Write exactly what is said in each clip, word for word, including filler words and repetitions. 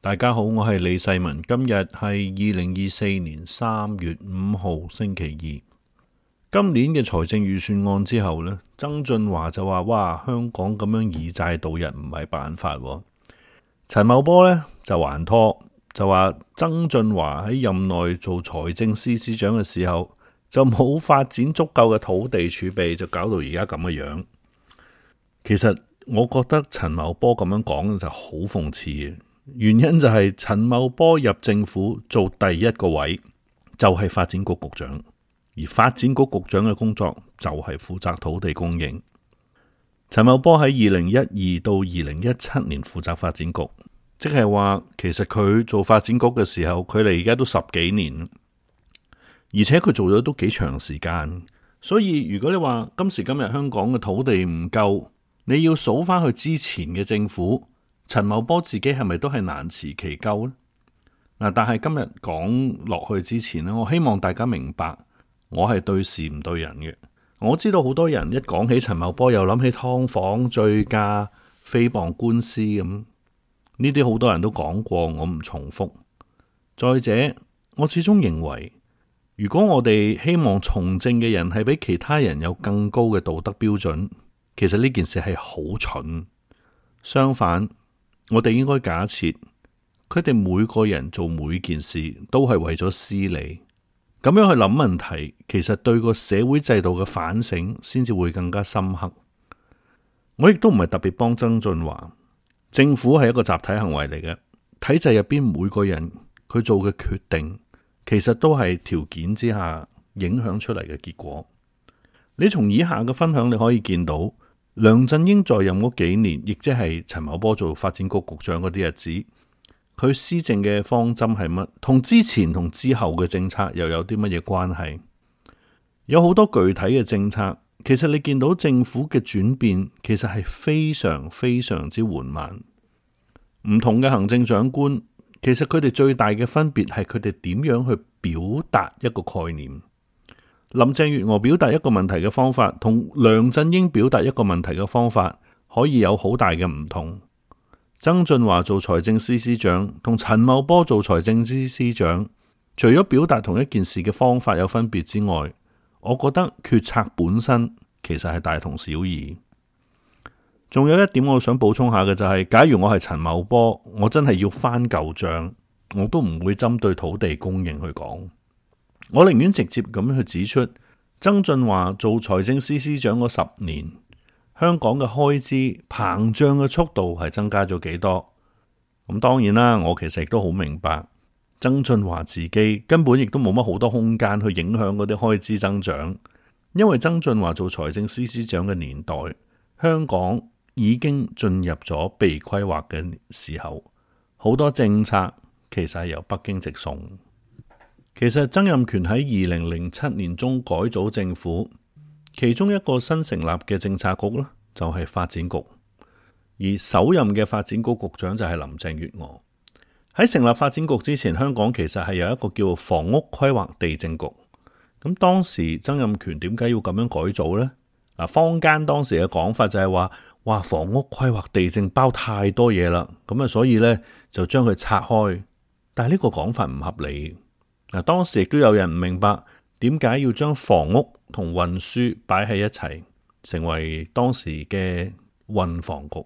大家好，我係李世民。今日係二零二四年三月五號星期二。今年嘅財政預算案之後呢，曾俊華就話：哇，香港咁樣以債度日唔係辦法。陳茂波呢就還拖，就話曾俊華喺任內做財政司司長嘅時候就冇發展足夠嘅土地儲備，就搞到而家咁嘅樣。其實我覺得陳茂波咁樣講就好諷刺嘅。原因就係陳茂波入政府做第一個位就係發展局局長，而發展局局長嘅工作就係負責土地供應。陳茂波喺二零一二到二零一七年負責發展局，即係話其實佢做發展局嘅時候，佢哋而家都十幾年，而且佢做咗都幾長時間。所以如果你話今時今日香港嘅土地唔夠，你要數翻去之前嘅政府，陳茂波自己係咪都係難辭其咎呢？嗱，但係今日講落去之前呢，我希望大家明白，我係對事唔對人嘅。我知道好多人一講起陳茂波，又諗起劏房、醉駕、誹謗官司咁，呢啲好多人都講過，我唔重複。再者，我始終認為，如果我哋希望從政嘅人係比其他人有更高嘅道德標準，其實呢件事係好蠢。相反，我哋應該假設佢哋每個人做每件事都係為咗私利，咁樣去諗問題，其實對個社會制度嘅反省先至會更加深刻。我亦都唔係特別幫曾俊華，政府係一個集體行為嚟嘅，體制入邊每個人佢做嘅決定，其實都係條件之下影響出嚟嘅結果。你從以下嘅分享你可以見到，梁振英在任嗰幾年，亦即係陳茂波做發展局局長嗰啲日子，佢施政嘅方針係乜？同之前同之後嘅政策又有啲乜嘢關係？有好多具體嘅政策，其實你見到政府嘅轉變，其實係非常非常之緩慢。唔同嘅行政長官，其實佢哋最大嘅分別係佢哋點樣去表達一個概念。林鄭月娥表達一個問題嘅方法，同梁振英表達一個問題嘅方法，可以有好大嘅唔同。曾俊華做財政司司長，同陳茂波做財政司司長，除咗表達同一件事嘅方法有分別之外，我覺得決策本身其實係大同小異。仲有一點我想補充下嘅就係，假如我係陳茂波，我真係要翻舊賬，我都唔會針對土地供應去講。我寧願直接咁樣去指出，曾俊華做財政司司長嗰十年，香港嘅開支膨脹嘅速度係增加咗幾多？咁當然啦，我其實亦都好明白，曾俊華自己根本亦都冇乜好多空間去影響嗰啲開支增長，因為曾俊華做財政司司長嘅年代，香港已經進入咗被規劃嘅時候，好多政策其實係由北京直送。其實曾蔭權喺二零零七年中改組政府，其中一個新成立嘅政策局呢，就係發展局，而首任嘅發展局局長就係林鄭月娥。喺成立發展局之前，香港其實係有一個叫房屋規劃地政局。咁當時曾蔭權點解要咁樣改組呢？嗱，坊間當時嘅講法就係話，哇，房屋規劃地政包太多嘢啦，咁啊，所以呢，就將佢拆開。但係呢個講法唔合理。嗱，當時亦都有人唔明白點解要將房屋同運輸擺喺一齊，成為當時嘅運房局。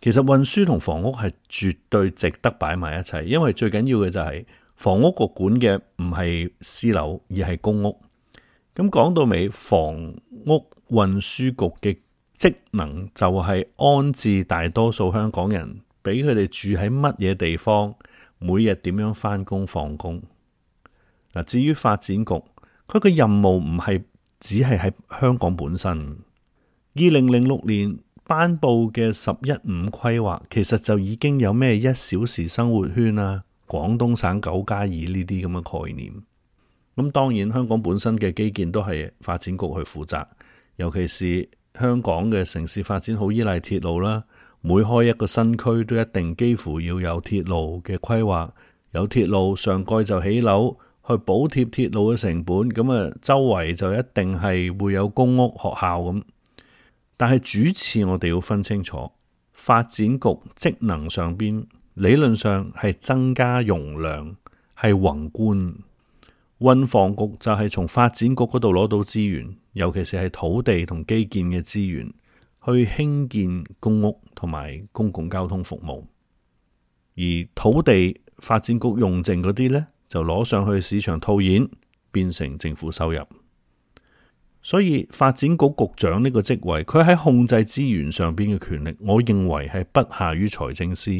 其實運輸同房屋係絕對值得擺埋一齊，因為最緊要嘅就係房屋局管嘅唔係私樓，而係公屋。咁講到尾，房屋運輸局嘅職能就係安置大多數香港人，俾佢哋住喺乜嘢地方，每日點樣返工放工。嗱，至於發展局，佢嘅任務唔係只係喺香港本身。二零零六年頒布嘅十一五規劃，其實就已經有咩一小時生活圈啊、廣東省九加二呢啲咁嘅概念。咁當然香港本身嘅基建都係發展局去負責，尤其是香港嘅城市發展好依賴鐵路啦，每開一個新區都一定幾乎要有鐵路嘅規劃，有鐵路上蓋就起樓。去補貼鐵路嘅成本，咁啊周圍就一定係會有公屋學校咁。但係主次我哋要分清楚，發展局職能上邊理論上係增加容量，係宏觀。運房局就係從發展局嗰度攞到資源，尤其是係土地同基建嘅資源，去興建公屋同埋公共交通服務。而土地發展局用剩嗰啲呢，就攞上去市場套現，變成政府收入。所以發展局局長呢個職位，佢喺控制資源上邊嘅權力，我認為係不下於財政司。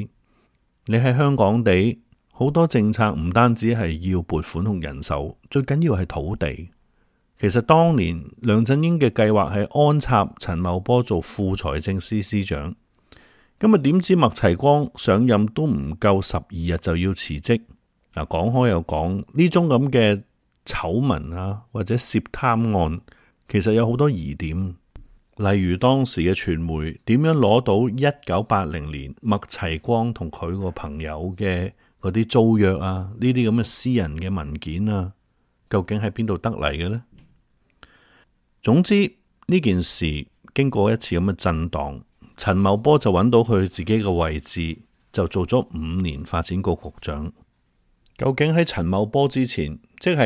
你喺香港地，好多政策唔單止係要撥款同人手，最緊要係土地。其實當年梁振英嘅計劃係安插陳茂波做副財政司司長，咁啊點知麥齊光上任都唔夠十二日就要辭職。嗱，講開又講，呢種咁嘅醜聞啊，或者涉貪案，其實有好多疑點。例如當時嘅傳媒點樣攞到一九八零年麥齊光同佢個朋友嘅嗰啲租約啊，呢啲咁嘅私人嘅文件啊，究竟喺邊度得嚟嘅呢？總之呢件事經過一次咁嘅震盪，陳茂波就揾到佢自己嘅位置，就做咗五年發展局局長。究竟喺陳茂波之前，即係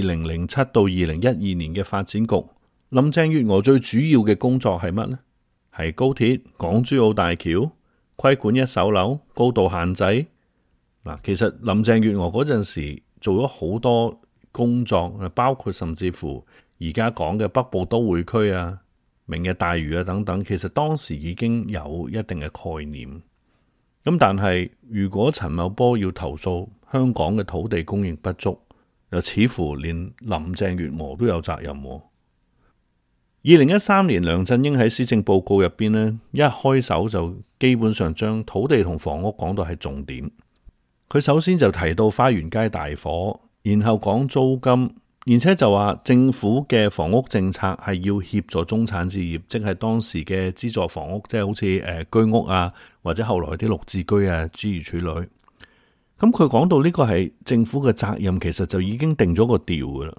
二零零七到二零一二年嘅發展局，林鄭月娥最主要嘅工作係乜呢？係高鐵、港珠澳大橋、規管一手樓、高度限制。嗱，其實林鄭月娥嗰陣時做咗好多工作，包括甚至乎而家講嘅北部都會區啊、明日大嶼啊等等，其實當時已經有一定嘅概念。咁但係如果陳茂波要投訴香港嘅土地供應不足，又似乎連林鄭月娥都有責任。二零一三年梁振英喺施政報告入邊呢，一開手就基本上將土地同房屋講到係重點。佢首先就提到花園街大火，然後講租金，而且就話政府嘅房屋政策係要協助中產置業，即係當時嘅資助房屋，即係好似誒居屋啊，或者後來啲綠置居啊諸如此類。咁佢講到呢個係政府嘅責任，其實就已經定咗個調噶啦。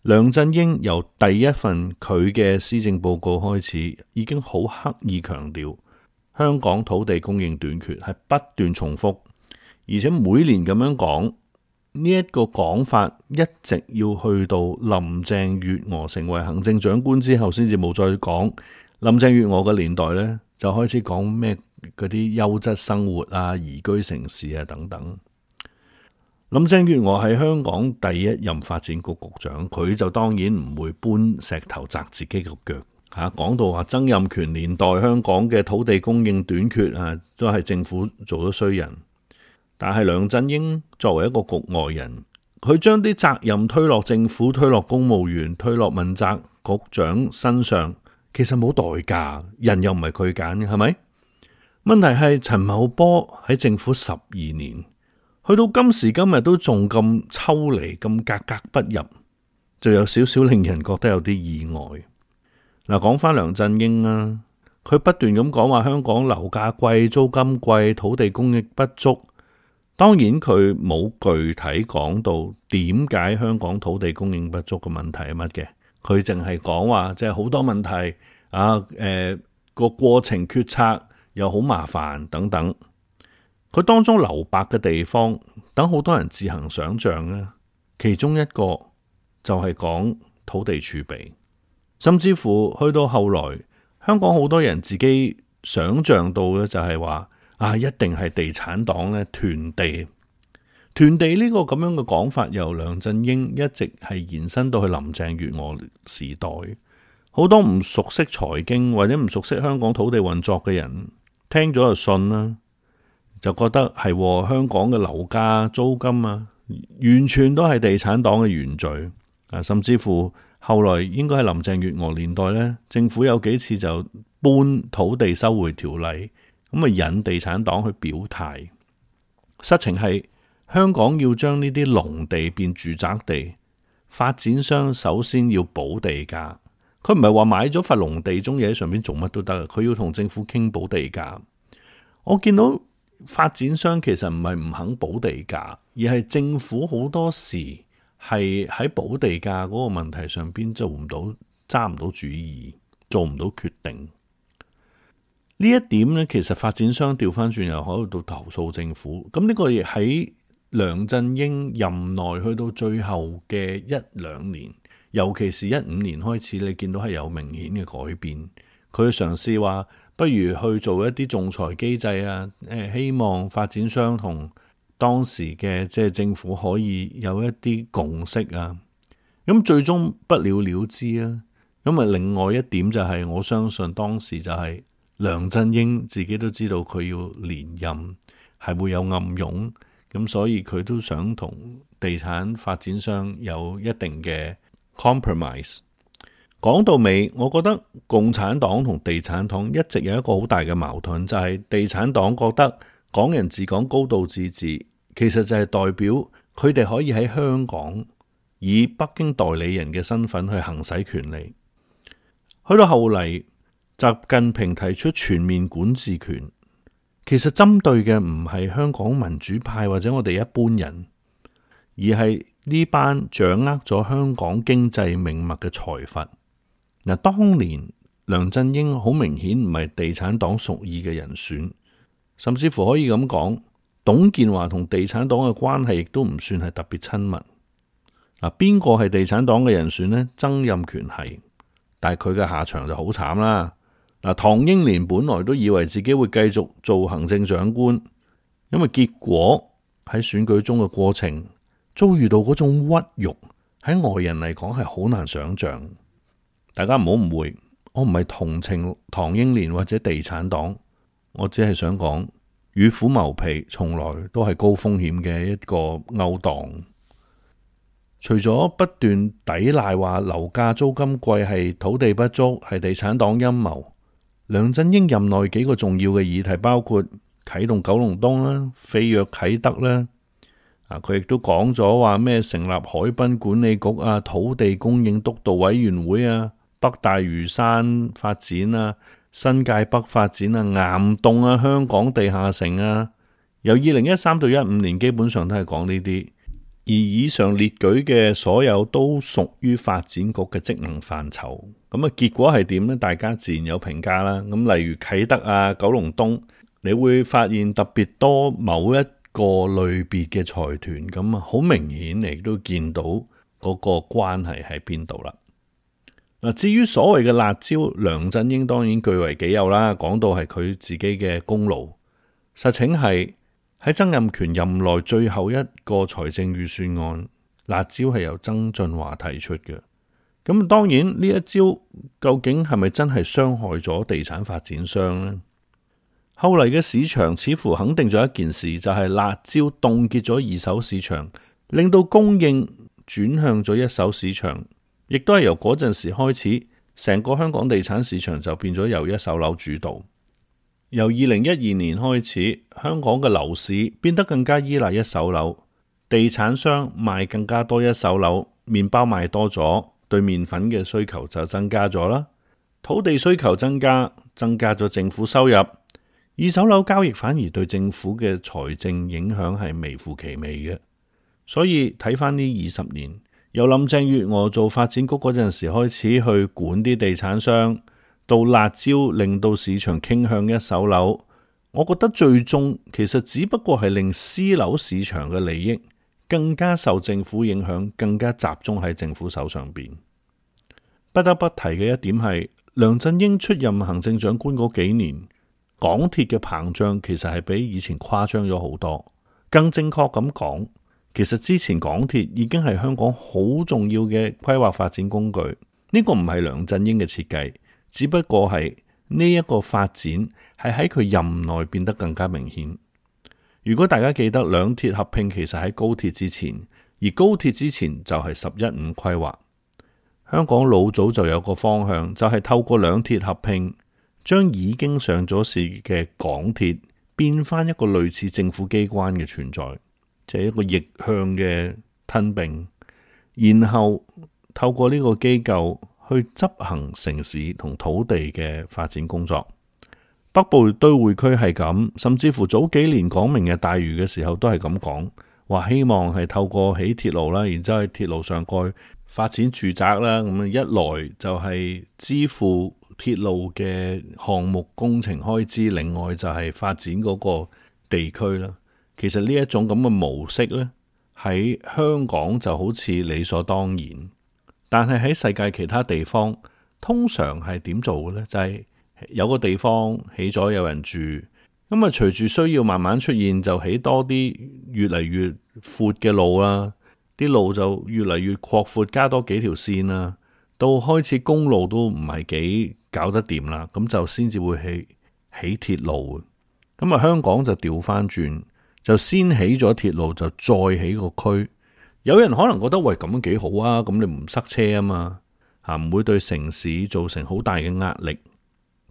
梁振英由第一份佢嘅施政報告開始，已經好刻意強調香港土地供應短缺，係不斷重複，而且每年咁樣講。呢一個講法一直要去到林鄭月娥成為行政長官之後，先至冇再講。林鄭月娥嘅年代呢，就開始講咩嗰啲優質生活啊、宜居城市啊等等。林鄭月娥係香港第一任發展局局長，佢就當然唔會搬石頭砸自己個腳吓。講到話曾蔭權年代香港嘅土地供應短缺啊，都係政府做咗衰人。但係梁振英作為一個局外人，佢將啲責任推落政府、推落公務員、推落問責局長身上，其實冇代價，人又唔係佢揀嘅，係咪？問題係陳茂波喺政府十二年，去到今時今日都仲咁抽離、咁格格不入，就有少少令人覺得有啲意外。嗱，講翻梁振英啊，佢不斷咁講話香港樓價貴、租金貴、土地供應不足。當然佢冇具體講到點解香港土地供應不足嘅問題係乜嘅，佢淨係講話即係好多問題啊，誒、呃、個過程決策又好麻煩等等。佢當中留白嘅地方，等好多人自行想象咧。其中一個就係講土地儲備，甚至乎去到後來，香港好多人自己想象到嘅就係話。啊！一定係地產黨咧囤地，囤地呢個咁樣嘅講法，由梁振英一直係延伸到去林鄭月娥時代。好多唔熟悉財經或者唔熟悉香港土地運作嘅人，聽咗就信啦，就覺得係、哦、香港嘅樓價、租金啊，完全都係地產黨嘅原罪啊！甚至乎後來應該係林鄭月娥年代呢，政府有幾次就搬土地收回條例。咁啊，引地產黨去表態。實情係香港要將呢啲農地變住宅地，發展商首先要補地價。佢唔係話買咗塊農地中嘢喺上面做乜都得，佢要同政府傾補地價。我見到發展商其實唔係唔肯補地價，而係政府好多時係喺補地價嗰個問題上邊做唔到，揸唔到主意，做唔到決定。呢一點呢，其實發展商調翻轉又喺度投訴政府。咁呢個亦喺梁振英任內去到最後嘅一兩年，尤其是一五年開始，你見到係有明顯嘅改變。佢嘗試話，不如去做一啲仲裁機制啊，誒，希望發展商同當時嘅即係政府可以有一啲共識啊。咁最終不了了之啊。咁啊，另外一點就係、是、我相信當時就係、是。梁振英自己都知道佢要連任係會有暗湧，咁所以佢都想同地產發展商有一定嘅 compromise。講到尾，我覺得共產黨同地產黨一直有一個好大嘅矛盾，就係地產黨覺得港人治港高度自治，其實就係代表佢哋可以喺香港以北京代理人嘅身份去行使權利。去到後嚟，習近平提出全面管治權，其實針對嘅唔係香港民主派或者我哋一般人，而係呢班掌握咗香港經濟命脈嘅財閥。嗱，當年梁振英好明顯唔係地產黨屬意嘅人選，甚至乎可以咁講，董建華同地產黨嘅關係亦都唔算係特別親密。嗱，邊個係地產黨嘅人選呢？曾蔭權係，但係佢嘅下場就好慘啦。嗱，唐英年本來都以為自己會繼續做行政長官，因為結果喺選舉中嘅過程遭遇到嗰種屈辱，喺外人嚟講係好難想象。大家唔好誤會，我唔係同情唐英年或者地產黨，我只係想講，與虎謀皮從來都係高風險嘅一個勾當。除咗不斷抵賴話樓價租金貴係土地不足，係地產黨陰謀，梁振英任內幾個重要嘅議題包括啟動九龍東啦、飛躍啟德啦，啊，佢亦都講咗話咩成立海濱管理局啊、土地供應督導委員會啊、北大嶼山發展啊、新界北發展啊、岩洞啊、香港地下城啊，由二零一三到一五年基本上都係講呢啲，而以上列舉嘅所有都屬於發展局嘅職能範疇。咁啊，結果係點呢？大家自然有評價啦。咁例如啟德啊、九龍東，你會發現特別多某一個類別嘅財團，咁啊，好明顯亦都見到嗰個關係喺邊度啦。嗱，至於所謂嘅辣招，梁振英當然據為己有啦，講到係佢自己嘅功勞。實情係喺曾蔭權任內最後一個財政預算案，辣招係由曾俊華提出嘅。咁當然呢一招究竟係咪真係傷害咗地產發展商呢？後嚟嘅市場似乎肯定咗一件事，就係辣招凍結咗二手市場，令到供應轉向咗一手市場，亦都係由嗰陣時開始，成個香港地產市場就變咗由一手樓主導。由二零一二年開始，香港嘅樓市變得更加依賴一手樓，地產商賣更加多一手樓，麵包賣多咗，對麵粉嘅需求就增加咗啦。土地需求增加，增加咗政府收入，二手樓交易反而對政府嘅財政影響係微乎其微嘅。所以睇翻呢二十年，由林鄭月娥做發展局嗰陣時開始去管啲地產商，到辣招令到市場傾向一手樓，我覺得最終其實只不過係令私樓市場嘅利益更加受政府影響，更加集中喺政府手上邊。不得不提嘅一點係，梁振英出任行政長官嗰幾年，港鐵嘅膨脹其實係比以前誇張咗好多。更正確咁講，其實之前港鐵已經係香港好重要嘅規劃發展工具，呢個唔係梁振英嘅設計，只不過係呢一個發展係喺佢任內變得更加明顯。如果大家記得兩鐵合併其實喺高鐵之前，而高鐵之前就係十一五規劃。香港老早就有個方向，就係透過兩鐵合併，將已經上咗市嘅港鐵變翻一個類似政府機關嘅存在，即係一個逆向嘅吞併，然後透過呢個機構去執行城市同土地嘅發展工作。北部都會區係咁，甚至乎早幾年講明日大嶼嘅時候都係咁講，話希望係透過起鐵路啦，然之後喺鐵路上蓋發展住宅啦，咁一來就係支付鐵路嘅項目工程開支，另外就係發展嗰個地區啦。其實呢一種咁嘅模式呢，喺香港就好似理所當然，但係喺世界其他地方，通常係點做嘅呢？就係有個地方起咗有人住，咁啊隨住需要慢慢出現，就起多啲越嚟越闊嘅路啦，啲路就越嚟越擴闊，加多幾條線啦，到開始公路都唔係幾搞得掂啦，咁就先至會起起鐵路。咁啊香港就調翻轉，就先起咗鐵路，就再起個區。有人可能覺得喂，咁樣幾好啊，咁你唔塞車啊嘛，吓唔會對城市造成好大嘅壓力。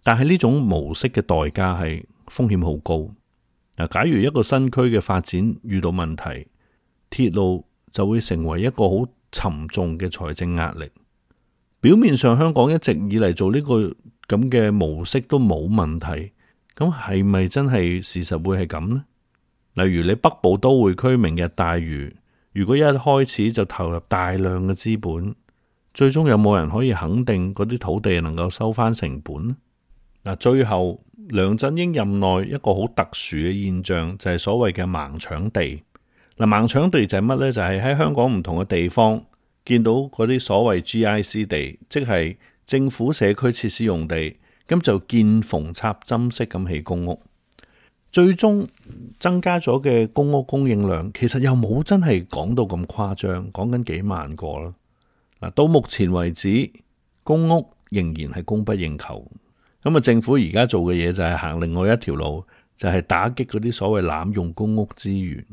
但係呢種模式嘅代價係風險好高。嗱，假如一個新區嘅發展遇到問題，鐵路就會成為一個好沉重嘅財政壓力。表面上香港一直以嚟做呢個咁嘅模式都冇問題，咁係咪真係事實會係咁呢？例如你北部都會區明日大嶼，如果一開始就投入大量嘅資本，最終有冇人可以肯定嗰啲土地能夠收翻成本呢？嗱，最後梁振英任內一個好特殊嘅現象就係所謂嘅盲搶地。嗱，盲搶地就係乜呢？就係喺香港唔同嘅地方見到嗰啲所謂 G I C 地，即係政府社區設施用地，咁就見縫插針式咁起公屋。最終增加咗嘅公屋供應量，其實又冇真係講到咁誇張，講緊幾萬個啦。嗱，到目前為止，公屋仍然係供不應求。咁啊，政府而家做嘅嘢就係行另外一條路，就係打擊嗰啲所謂濫用公屋資源。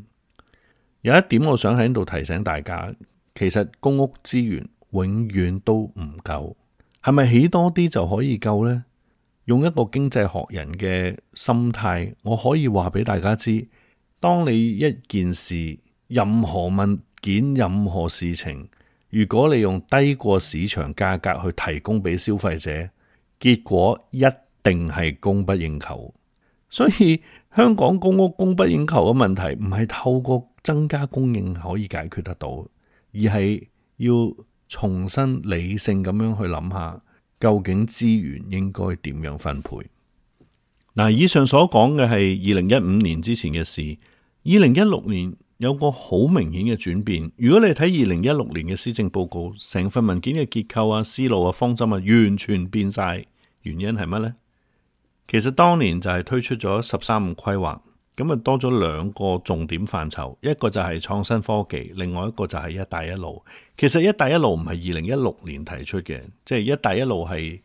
有一點我想喺度提醒大家，其實公屋資源永遠都唔夠，係咪起多啲就可以夠呢？用一個經濟學人嘅心態，我可以話俾大家知，當你一件事、任何物件、任何事情，如果你用低過市場價格去提供俾消費者，結果一定係供不應求。所以香港公屋供不應求嘅問題，唔係透過增加供應可以解決得到，而係要重新理性咁樣去諗下，究竟資源應該點樣分配。嗱，以上所講嘅係二零一五年之前嘅事，二零一六年有個好明顯嘅轉變。如果你睇二零一六年嘅施政報告，成份文件嘅結構啊、思路啊、方針啊，完全變晒。原因係乜呢？其實當年就係推出咗十三五規劃，咁啊多咗兩個重點範疇，一個就係創新科技，另外一個就係一帶一路。其實一帶一路唔係二零一六年提出嘅，即係一帶一路係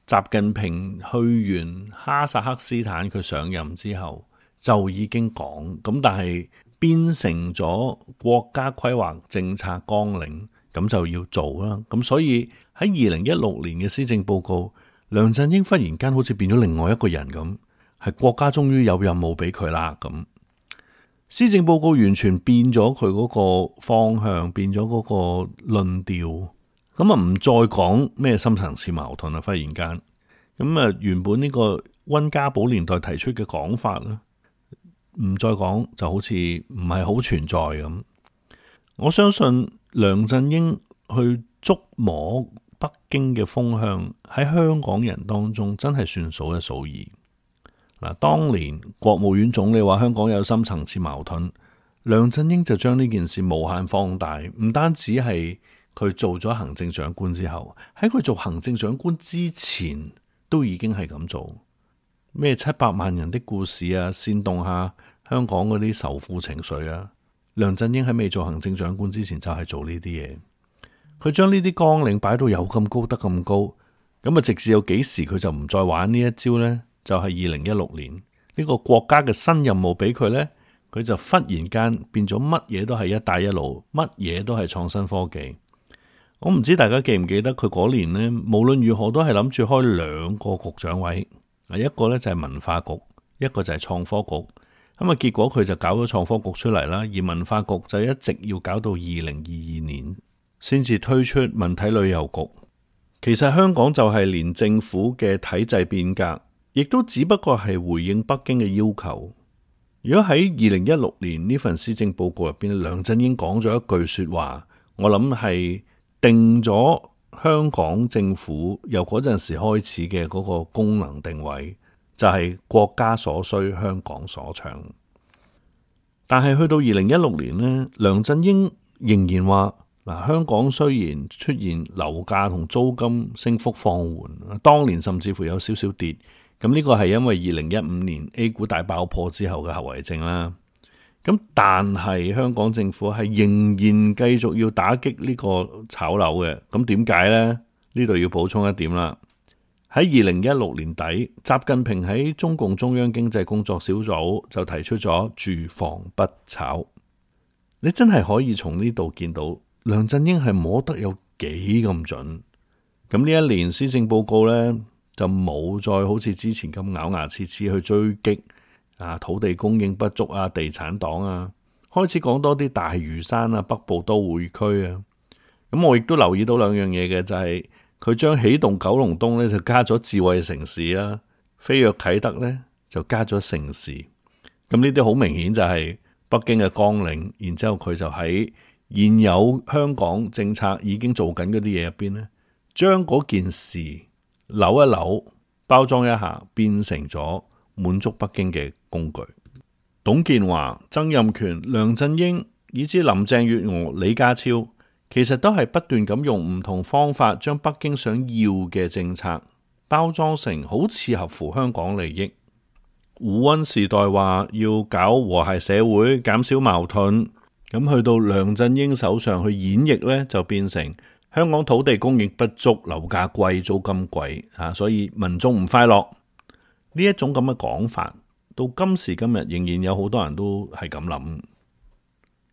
習近平去完哈薩克斯坦佢上任之後就已經講，咁但係變成咗國家規劃政策綱領，咁就要做啦。咁所以喺二零一六年嘅施政報告，梁振英忽然間好似變咗另外一個人咁，係國家終於有任務俾佢啦。咁施政報告完全變咗佢嗰個方向，變咗嗰個論調，咁啊唔再講咩深層次矛盾啦。忽然間，咁啊原本呢個溫家寶年代提出嘅講法啦，唔再講，就好似唔係好存在咁。我相信梁振英去捉摸北京嘅風向喺香港人當中真係算數一數二。嗱，當年國務院總理話香港有深層次矛盾，梁振英就將呢件事無限放大。唔單止係佢做咗行政長官之後，喺佢做行政長官之前都已經係咁做。咩七百萬人的故事啊，煽動下香港嗰啲仇富情緒啊。梁振英喺未做行政長官之前就係做呢啲嘢。佢將呢啲綱領擺到有咁高得咁高，咁啊直至有幾時佢就唔再玩呢一招呢？就係二零一六年呢個國家嘅新任務俾佢呢，佢就忽然間變咗乜嘢都係一帶一路，乜嘢都係創新科技。我唔知大家記唔記得佢嗰年呢，無論如何都係諗住開兩個局長位，一個呢就係文化局，一個就係創科局。咁啊結果佢就搞咗創科局出嚟啦，而文化局就一直要搞到二零二二年。先至推出文體旅遊局。其實香港就係連政府嘅體制變革，亦都只不過係回應北京嘅要求。如果喺二零一六年呢份施政報告入邊，梁振英講咗一句說話，我諗係定咗香港政府由嗰陣時開始嘅嗰個功能定位，就係國家所需，香港所長。但係去到二零一六年呢，梁振英仍然話嗱，香港雖然出現樓價同租金升幅放緩，當年甚至乎有少少跌，咁呢個係因為二零一五年 A 股大爆破之後嘅後遺症啦。咁但係香港政府係仍然繼續要打擊呢個炒樓嘅，咁點解呢？呢度要補充一點啦。喺二零一六年底，習近平喺中共中央經濟工作小組就提出咗住房不炒。你真係可以從呢度見到梁振英係摸得有幾咁準。咁呢一年施政報告呢，就冇再好似之前咁咬牙切齒去追擊啊土地供應不足啊、地產黨啊，開始講多啲大嶼山啊、北部都會區啊。咁我亦都留意到兩樣嘢嘅，就係佢將起動九龍東咧就加咗智慧城市啦，飛躍啟德咧就加咗城市。咁呢啲好明顯就係北京嘅綱領，然之後佢就喺現有香港政策已經做緊嗰啲嘢入邊咧，將嗰件事扭一扭、包裝一下，變成咗滿足北京嘅工具。董建華、曾蔭權、梁振英以至林鄭月娥、李家超，其實都係不斷咁用唔同方法，將北京想要嘅政策包裝成好似合乎香港利益。胡溫時代話要搞和諧社會，減少矛盾，咁去到梁振英手上去演繹呢，就變成香港土地供應不足、樓價貴、租金貴啊，所以民眾唔快樂。呢一種咁嘅講法，到今時今日仍然有好多人都係咁諗。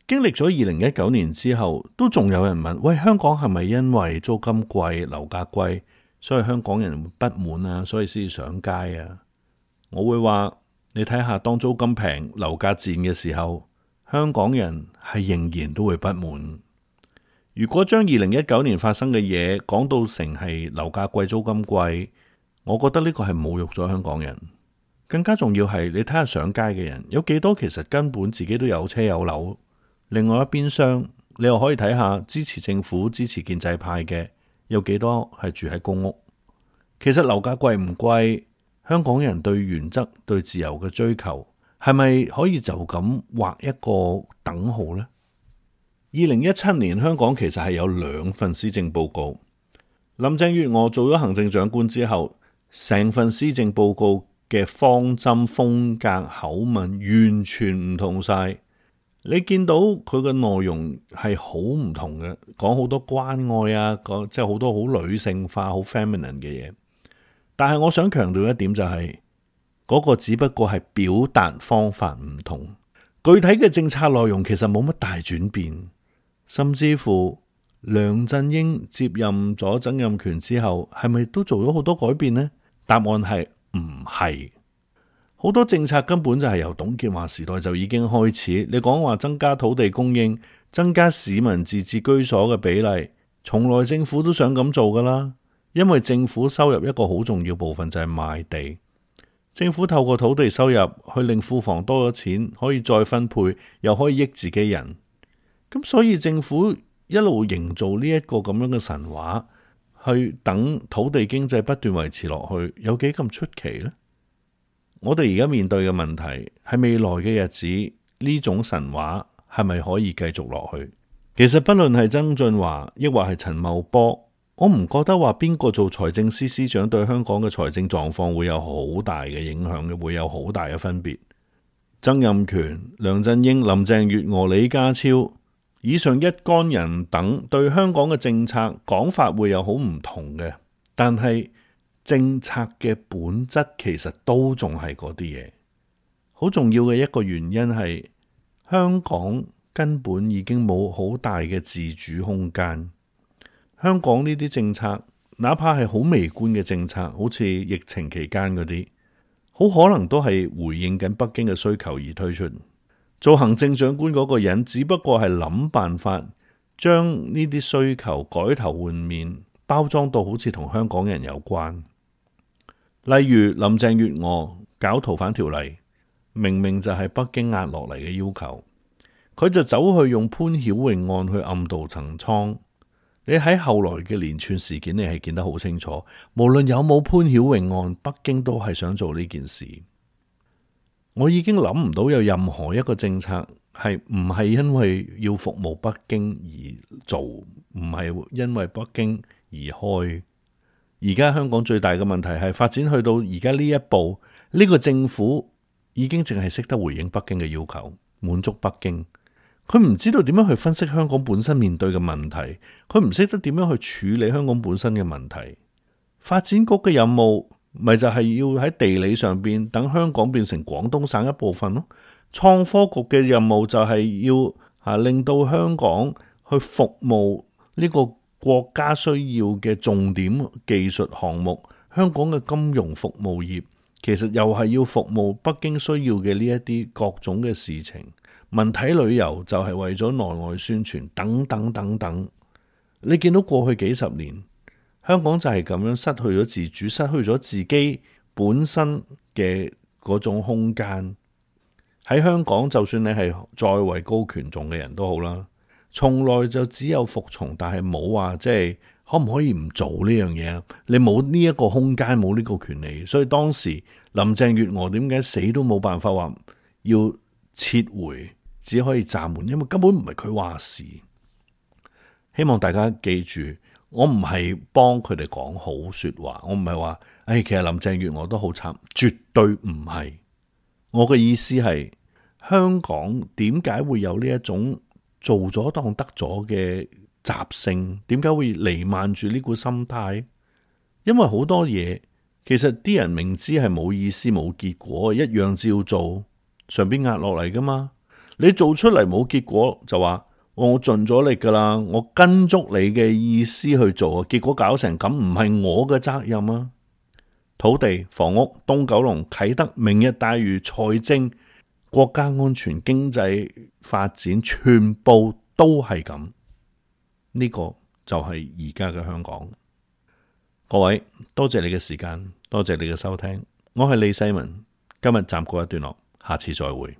經歷咗二零一九年之後，都仲有人問：喂，香港係咪因為租金貴、樓價貴，所以香港人不滿啊，所以先至上街啊？我會話，你睇下當租金平、樓價賤嘅時候，香港人係仍然都會不滿。如果將二零一九年發生嘅嘢講到成係樓價貴、租金貴，我覺得呢個係侮辱咗香港人。更加重要係你睇下上街嘅人有幾多，其實根本自己都有車有樓。另外一邊廂，你又可以睇下支持政府、支持建制派嘅有幾多係住喺公屋。其實樓價貴唔貴，香港人對原則、對自由嘅追求，係咪可以就咁畫一個等號呢？二零一七年香港其實係有兩份施政報告。林鄭月娥做咗行政長官之後，成份施政報告嘅方針、風格、口吻完全唔同晒。你見到佢嘅內容係好唔同嘅，講好多關愛啊，講即係好多好女性化、好 feminine 嘅嘢。但係我想強調一點就係，嗰個只不過係表達方法唔同，具體嘅政策內容其實冇乜大轉變。甚至乎梁振英接任咗曾蔭權之後，係咪都做咗好多改變呢？答案係唔係。好多政策根本就係由董建華時代就已經開始。你講話增加土地供應、增加市民自置居所嘅比例，從來政府都想咁做噶啦。因為政府收入一個好重要部分就係賣地，政府透過土地收入去令庫房多咗錢，可以再分配，又可以益自己人。咁所以政府一路營造呢一個咁樣嘅神話，去等土地經濟不斷維持落去，有幾咁出奇呢？我哋而家面對嘅問題係未來嘅日子，呢種神話係咪可以繼續落去？其實不論係曾俊華抑或係陳茂波，我唔覺得話邊個做財政司司長對香港嘅財政狀況會有好大嘅影響嘅，會有好大嘅分別。曾蔭權、梁振英、林鄭月娥、李家超以上一干人等對香港嘅政策講法會有好唔同嘅，但係政策嘅本質其實都仲係嗰啲嘢。好重要嘅一個原因係香港根本已經冇好大嘅自主空間。香港呢啲政策，哪怕係好微觀嘅政策，好似疫情期間嗰啲，好可能都係回應緊北京嘅需求而推出。做行政長官嗰個人只不過係諗辦法將呢啲需求改頭換面，包裝到好似同香港人有關。例如林鄭月娥搞逃犯條例，明明就係北京壓落嚟嘅要求，佢就走去用潘曉穎案去暗度陳倉。你喺後來嘅連串事件，你係見得好清楚。無論有冇潘曉穎案，北京都係想做呢件事。我已經諗唔到有任何一個政策係唔係因為要服務北京而做，唔係因為北京而開。而家香港最大嘅問題係發展去到而家呢一步，呢個政府已經淨係識得回應北京嘅要求，滿足北京。佢唔知道點樣去分析香港本身面對嘅問題，佢唔識得點樣去處理香港本身嘅問題。發展局嘅任務咪就係要喺地理上邊等香港變成廣東省一部分咯。創科局嘅任務就係要啊令到香港去服務呢個國家需要嘅重點技術項目。香港嘅金融服務業其實又係要服務北京需要嘅呢一啲各種嘅事情。文體旅遊就係為咗內外宣傳等等等等。你見到過去幾十年，香港就係咁樣失去咗自主，失去咗自己本身嘅嗰種空間。喺香港，就算你係再位高權重嘅人都好啦，從來就只有服從，但係冇話即係可唔可以唔做呢樣嘢啊？你冇呢一個空間，冇呢個權利，所以當時林鄭月娥點解死都冇辦法話要撤回？只可以暫緩，因為根本唔係佢話事。希望大家記住，我唔係幫佢哋講好說話，我唔係話，誒，其實林鄭月娥都好慘，絕對唔係。我嘅意思係，香港點解會有呢一種做咗當得咗嘅習性？點解會彌漫住呢股心態？因為好多嘢，其實啲人明知係冇意思、冇結果，一樣照做，上邊壓落嚟噶嘛。你做出嚟冇結果就話我盡咗力噶啦，我跟足你嘅意思去做，結果搞成咁唔係我嘅責任啊！土地、房屋、東九龍、啟德、明日大嶼、財政、國家安全、經濟發展，全部都係咁。呢個就係而家嘅香港。各位，多謝你嘅時間，多謝你嘅收聽，我係李世民，今日暫告一段落，下次再會。